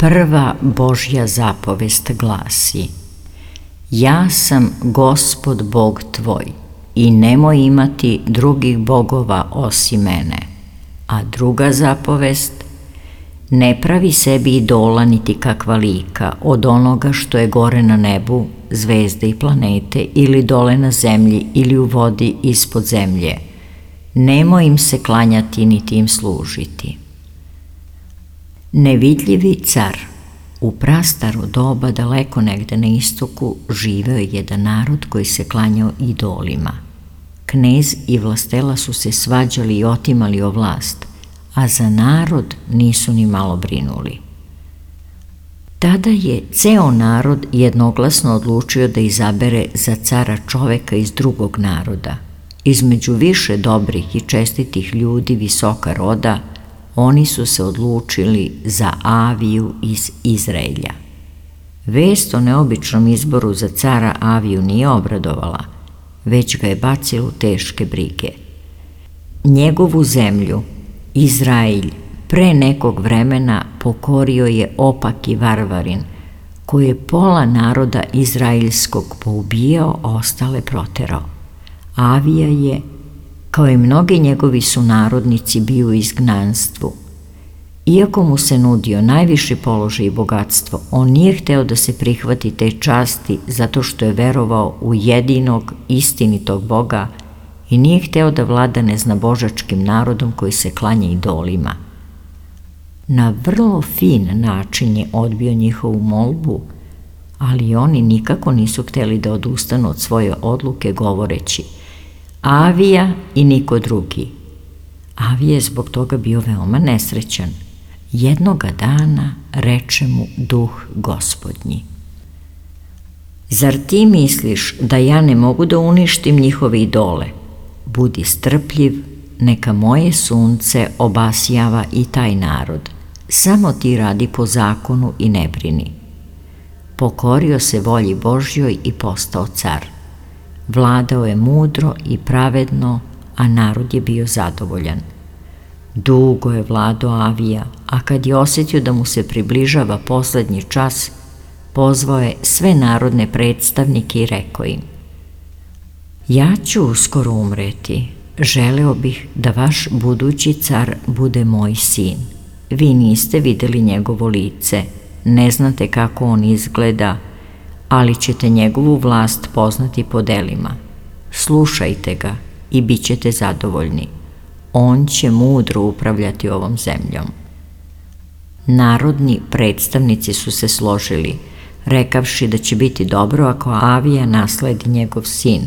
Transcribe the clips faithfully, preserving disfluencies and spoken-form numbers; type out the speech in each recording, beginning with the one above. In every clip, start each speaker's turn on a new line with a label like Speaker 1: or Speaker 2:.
Speaker 1: Prva Božja zapovest glasi: Ja sam Gospod Bog tvoj i nemoj imati drugih bogova osim mene. A druga zapovest: Ne pravi sebi idola niti kakva lika od onoga što je gore na nebu, zvezde i planete, ili dole na zemlji ili u vodi ispod zemlje. Nemoj im se klanjati niti im služiti. Nevidljivi car. U prastaro doba, daleko negde na istoku, živeo je jedan narod koji se klanjao idolima. Knez i vlastela su se svađali i otimali o vlast, a za narod nisu ni malo brinuli. Tada je ceo narod jednoglasno odlučio da izabere za cara čoveka iz drugog naroda. Između više dobrih i čestitih ljudi visoka roda, oni su se odlučili za Aviju iz Izraelja. Vest o neobičnom izboru za cara Aviju nije obradovala, već ga je bacila u teške brige. Njegovu zemlju, Izraelj, pre nekog vremena pokorio je opaki varvarin, koji je pola naroda izraeljskog poubijao, a ostale proterao. Avija je, kao i mnogi njegovi sunarodnici, bio u izgnanstvu. Iako mu se nudio najviši položaj i bogatstvo, on nije hteo da se prihvati te časti zato što je verovao u jedinog, istinitog Boga i nije hteo da vlada neznabožačkim narodom koji se klanja idolima. Na vrlo fin način je odbio njihovu molbu, ali oni nikako nisu hteli da odustanu od svoje odluke, govoreći: Avija i niko drugi. Avija je zbog toga bio veoma nesrećan. Jednoga dana reče mu duh Gospodnji: Zar ti misliš da ja ne mogu da uništim njihove idole? Budi strpljiv, neka moje sunce obasjava i taj narod. Samo ti radi po zakonu i ne brini. Pokorio se volji Božjoj i postao car. Vladao je mudro i pravedno, a narod je bio zadovoljan. Dugo je vladao Avija, a kad je osjetio da mu se približava poslednji čas, pozvao je sve narodne predstavnike i rekao im: Ja ću uskoro umreti. Želeo bih da vaš budući car bude moj sin. Vi niste videli njegovo lice, ne znate kako on izgleda, ali ćete njegovu vlast poznati po delima. Slušajte ga i bit ćete zadovoljni. On će mudro upravljati ovom zemljom. Narodni predstavnici su se složili, rekavši da će biti dobro ako Avija nasledi njegov sin.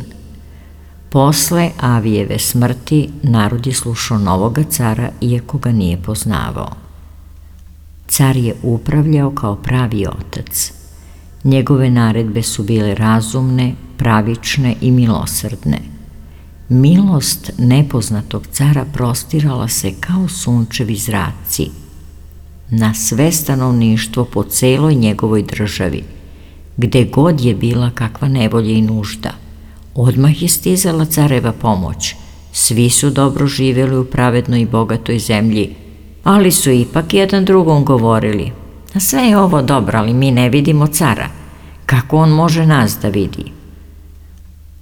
Speaker 1: Posle Avijeve smrti narod je slušao novoga cara, iako ga nije poznavao. Car je upravljao kao pravi otac. Njegove naredbe su bile razumne, pravične i milosrdne. Milost nepoznatog cara prostirala se kao sunčevi zraci na sve stanovništvo po celoj njegovoj državi. Gde god je bila kakva nevolja i nužda, odmah je stizala careva pomoć. Svi su dobro živjeli u pravednoj i bogatoj zemlji, ali su ipak jedan drugom govorili: Sve je ovo dobro, ali mi ne vidimo cara. Kako on može nas da vidi?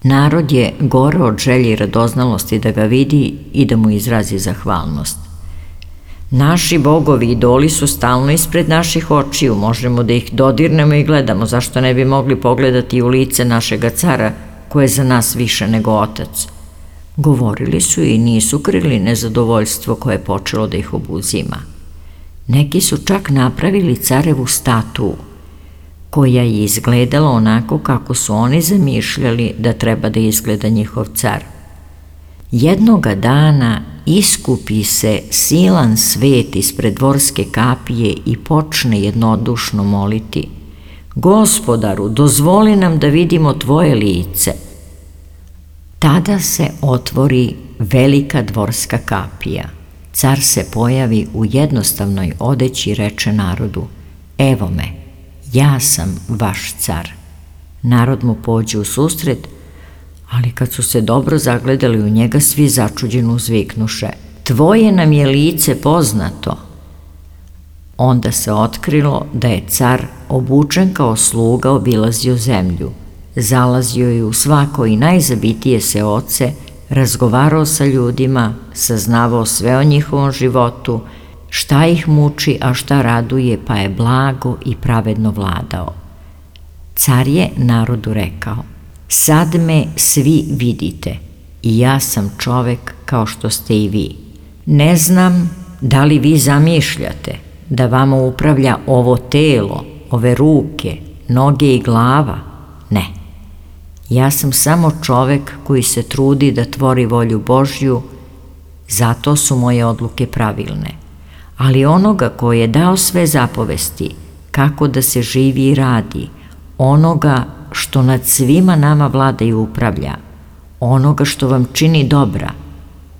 Speaker 1: Narod je gore od želje i radoznalosti da ga vidi i da mu izrazi zahvalnost. Naši bogovi i idoli su stalno ispred naših očiju, možemo da ih dodirnemo i gledamo, zašto ne bi mogli pogledati u lice našega cara, koje je za nas više nego otac. Govorili su i nisu krili nezadovoljstvo koje je počelo da ih obuzima. Neki su čak napravili carevu statu, koja je izgledala onako kako su oni zamišljali da treba da izgleda njihov car. Jednoga dana iskupi se silan svet ispred dvorske kapije i počne jednodušno moliti: Gospodaru, dozvoli nam da vidimo tvoje lice. Tada se otvori velika dvorska kapija. Car se pojavi u jednostavnoj odeći i reče narodu: Evo me, ja sam vaš car. Narod mu pođe u susret, ali kad su se dobro zagledali u njega, svi začuđeno uzviknuše: Tvoje nam je lice poznato. Onda se otkrilo da je car, obučen kao sluga, obilazio zemlju. Zalazio je u svako i najzabitije seoce, razgovarao sa ljudima, saznavao sve o njihovom životu, šta ih muči, a šta raduje, pa je blago i pravedno vladao. Car je narodu rekao: sad me svi vidite i ja sam čovek kao što ste i vi. Ne znam da li vi zamišljate da vama upravlja ovo telo, ove ruke, noge i glava? Ne. Ja sam samo čovek koji se trudi da tvori volju Božju, zato su moje odluke pravilne. Ali onoga koji je dao sve zapovesti, kako da se živi i radi, onoga što nad svima nama vlada i upravlja, onoga što vam čini dobra,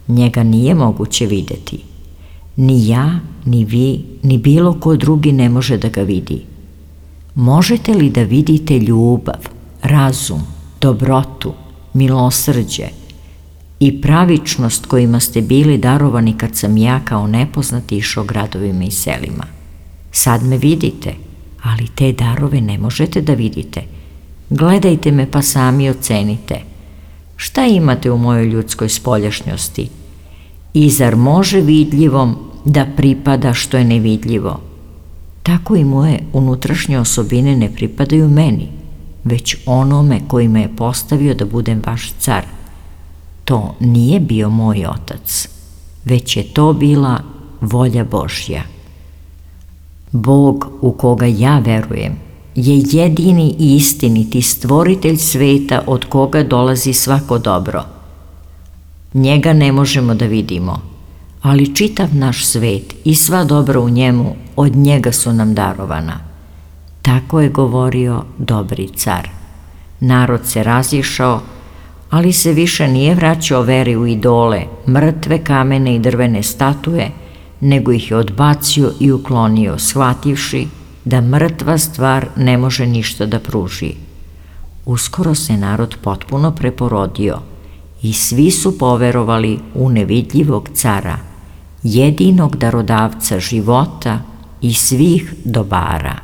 Speaker 1: njega nije moguće videti. Ni ja, ni vi, ni bilo ko drugi ne može da ga vidi. Možete li da vidite ljubav, razum, dobrotu, milosrđe i pravičnost kojima ste bili darovani kad sam ja kao nepoznati išao gradovima i selima? Sad me vidite, ali te darove ne možete da vidite. Gledajte me pa sami ocenite. Šta imate u mojoj ljudskoj spoljašnjosti? I zar može vidljivom da pripada što je nevidljivo? Tako i moje unutrašnje osobine ne pripadaju meni, već onome koji me je postavio da budem vaš car. To nije bio moj otac, već je to bila volja Božja. Bog u koga ja verujem je jedini i istiniti stvoritelj sveta od koga dolazi svako dobro. Njega ne možemo da vidimo, ali čitav naš svet i sva dobra u njemu od njega su nam darovana. Tako je govorio dobri car. Narod se razišao, ali se više nije vraćao veri u idole, mrtve kamene i drvene statue, nego ih je odbacio i uklonio, shvativši da mrtva stvar ne može ništa da pruži. Uskoro se narod potpuno preporodio i svi su poverovali u nevidljivog cara, jedinog darodavca života i svih dobara.